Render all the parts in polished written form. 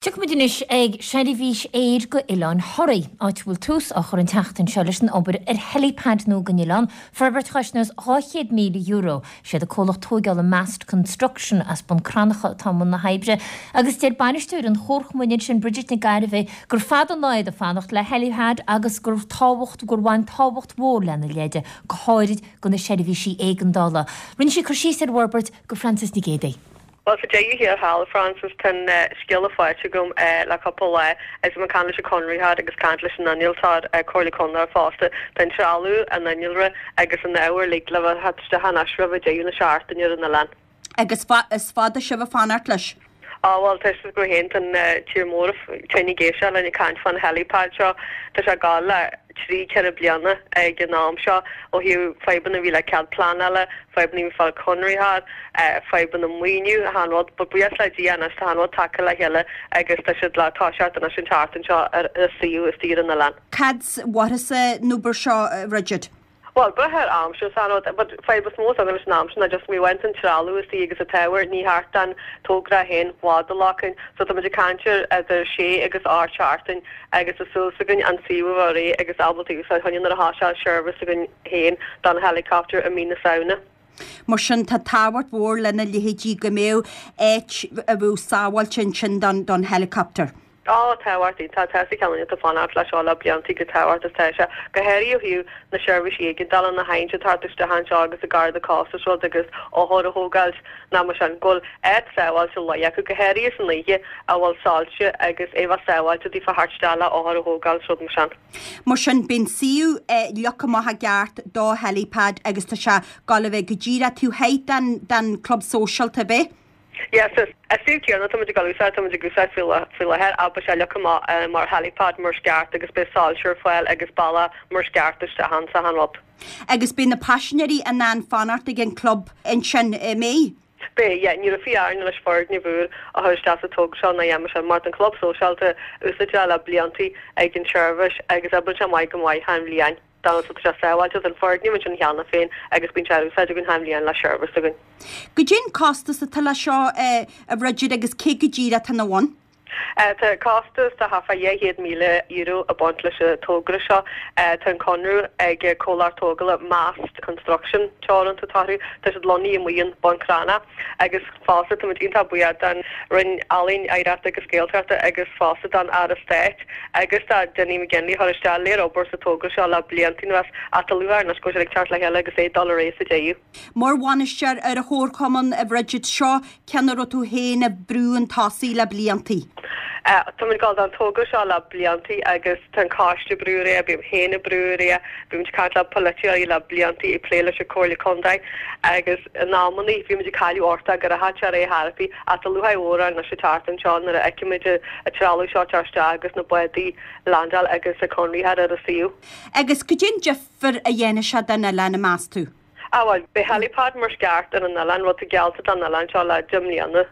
Tiocfaimid anois ag seirbhís aeir go Oileán Thoraí, áit a bhfuil tús á chur an tseachtain seo leis an obair ar helipad nua don oileán, forbairt a chosnós €200,000. Siad an comhlacht tóigeála Mast Construction as Bun Cranncha atá i mbun na hoibre agus deir bainisteoir an chomharchumainn ansin, Bridget Nic Gairbheith, gur fada an lá iad ag fanacht le helipad agus gur tábhacht gur bhain tábhacht mhór lena leithéid, go háirid do na seirbhísí éigeandála. Rinne sí cur síos ar an bhforbairt go Frances Nic Géadaigh. Bhuel, sa deireadh thiar thall, Frances, tá an scéala faighte agam le cúpla lá agus mé ag caint leis an conraitheoir agus caint leis an innealtóir, Comhairle Contae fosta. Tá an trealamh, an innealra agus an ábhar uilig le bheith theacht isteach anois roimh deireadh na seachtaine ar an oileán. Agus is fada sibh ag fanacht leis? Á, bhuel, tá fhios agat féin, tá an tír mór tinn ag éisteacht linn ag caint fán helipad seo. Tá sé ag gabháil le 3, 4 bliana ag an am seo ó thaobh fadhbanna a bhí le cead pleanála, fadhbanna a bhí fáil conraitheoir, fadhbanna maoiniú, achan rud. But buíochas le Dia anois tá achan rud tagtha le chéile agus tá siad le toiseacht anois an tseachtain seo ar an suíomh istigh ar an oileán. Cad mhairfeas an obair seo, Bridget? Bhuel, brath ar aimsir is achan rud, but fadhb is mó atá againn leis an aimsir ná just má bhaint an trealamh istigh agus an t-ábhar, ní theacht an togra féin bhfad a ghlacann. So tá muid ag caint ar idir sé agus 8 seachtain agus tá súil againn an suíomh a bheith réidh agus ábalta úsáid choinne nuair a thoiseoidh seirbhís againn féin don helicopter i mí na Samhna. Mar sin, tá tábhacht mhór lena leithéidí go mbeadh áit a bheadh sábháilte ansin don helicopter. Á, tábhacht iontach, tá sa cheann atá fanacht leis seo le blianta go tábhacht is tá sé, go háirithe ó thaobh na seirbhísí éigeandála na haint atá thart isteach anseo agus an Garda Cósta is rud agus othair a thógáilt ná mar sin, go bhfuil áit sábháilte luí acu, go háirithe san oíche, a bhfuil soilse agus é bheith sábháilte daofa theacht isteach le othair a thógáil is rud mar sin. Mar sin, beidh an suíomh leagtha amach i gceart do helipad agus tá sé ag gabháil a bheith go díreach taobh thoir den den Club Sóisialta, ab é? Yes, an suíomh céanna tá muid ag dul úsáid, tá muid ag úsáid faoi láthair ach beidh sé leagtha amach mar helipad mar is ceart agus beidh soilse ar fáil agus bealach mar is ceart isteach ann is achan rud. Agus beidh na paisinéirí in ann fanacht ag an club ansin, an mbeidh? Beidh, yeah. Ní raibh fiú orainn leis foirgneamh úr a chur isteach sa togra seo ná a dhéanamh mar sin mar tá an club sóisialta úsáidte le bliantaí ag an tseirbhís agus oibríonn sé maith go maith achan bhliain. Tá sé sábháilte don foirgneamh ansin cheana féin agus bíonn sé ar úsáid againn achan bhliain le seirbhís againn. Goidé an costas atá leis seo, a Bhridget, agus cé go díreach atá ina bhun? Tá costas de thart fá €200,000 ag baint leis an togra seo. Tá an conradh ag comhlacht tógála Mast Construction Teoranta atá orthu. Tá siad lonnaithe amuigh in Bun Cranncha agus fosta táimid iontach buíoch don Roinn Ealaíon, Oidhreachta agus Gaeltachta agus fosta don Aire Stáit agus do Dinny McGinley a chuir isteach léir obair sa togra seo le blianta anuas ach tá lúcháir anois go bhfuil sé ag teacht le chéile agus é ag dul ar aghaidh sa deireadh. Mar bhainisteoir ar an chomharchumann, a Bhridget, seo ceann a raibh tú féin ag brú chun tosaigh le bliantaí. Táimid ag gabháil don togra seo le bliantaí agus tá an coiste ag brú ar aghaidh, bím féin ag brú ar aghaidh, bímid ag caint le polaiteoirí le bliantaí, ag plé leis an Comhairle Contae agus in amannaí bhímid ag cailleadh uchtach go rachadh sé ar aghaidh thar bith ach tá lúcháir mhór orainn anois an tseachtain seo nuair a fheicimid an trealamh seo ag teacht isteach agus na bádaí ag landáil agus an conraitheoir ar an suíomh. Agus goidé an difear a dhéanfaidh sé don oileán, meas tú? Ah bhuel, beidh helipad mar is ceart ar an oileán, rud atá geallta don oileán seo le 10 mbliana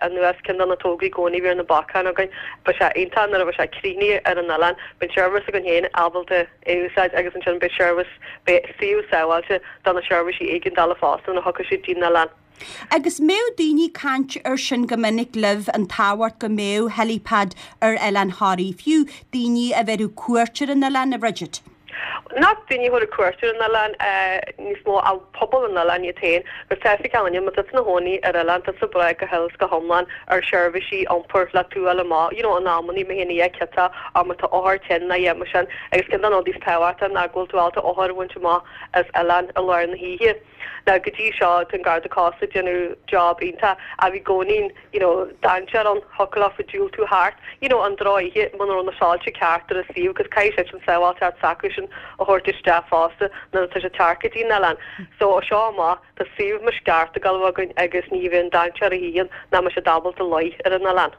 anuas, ceann de na tograí i gcónaí a bhí ar na bacáin againn. Beidh sé iontach nuair a bheidh sé críochnaithe ar an oileán, beidh an seirbhís againn féin ábalta é a úsáid agus ansin beidh seirbhís, beidh suíomh sábháilte do na seirbhísí éigeandála fosta nuair a thiocfaidh siad dtí'n oileán. Agus mbeadh daoine ag caint ar sin go minic libh, an tábhacht go mbeadh helipad ar Oileán Thoraí, fiú daoine a bhéarfadh cuairt ar an oileán, a Bhridget? Nach daoine a thabharfadh cuairt ar an oileán níos mó ach pobal an oileáin iad féin, agus tá fhios ag gach éinne, má tá tú ina chónaí ar oileán, tá tú ag brath go huile is go hiomlán ar sheirbhísí iompair le tú a fháil amach, you know, in amannaí má théann oíche ciotach or má tá othar tinn nó a dhath mar sin, agus ceann de na rudaí is tábhachtaí ná go bhfuil tú ábalta othar a bhaint amach as oileán i lár na hoíche. Now go dtí seo tá an Garda Cósta ag déanamh job iontach ach bhí i gcónaí you know dainséar ann thiocfadh leofa diúltú thart you know an drochoíche muna raibh na soilse ceart ar an suíomh agus caithfidh siad sin sábháilteacht s'acusan a thabhairt isteach fosta nuair atá siad teacht go dtí an oileán. So ó seo amach tá suíomh mar is ceart ag gabháil a bheith againn agus ní bheidh an dainséar a choíche nach mbeidh siad ábalta luí ar an oileán.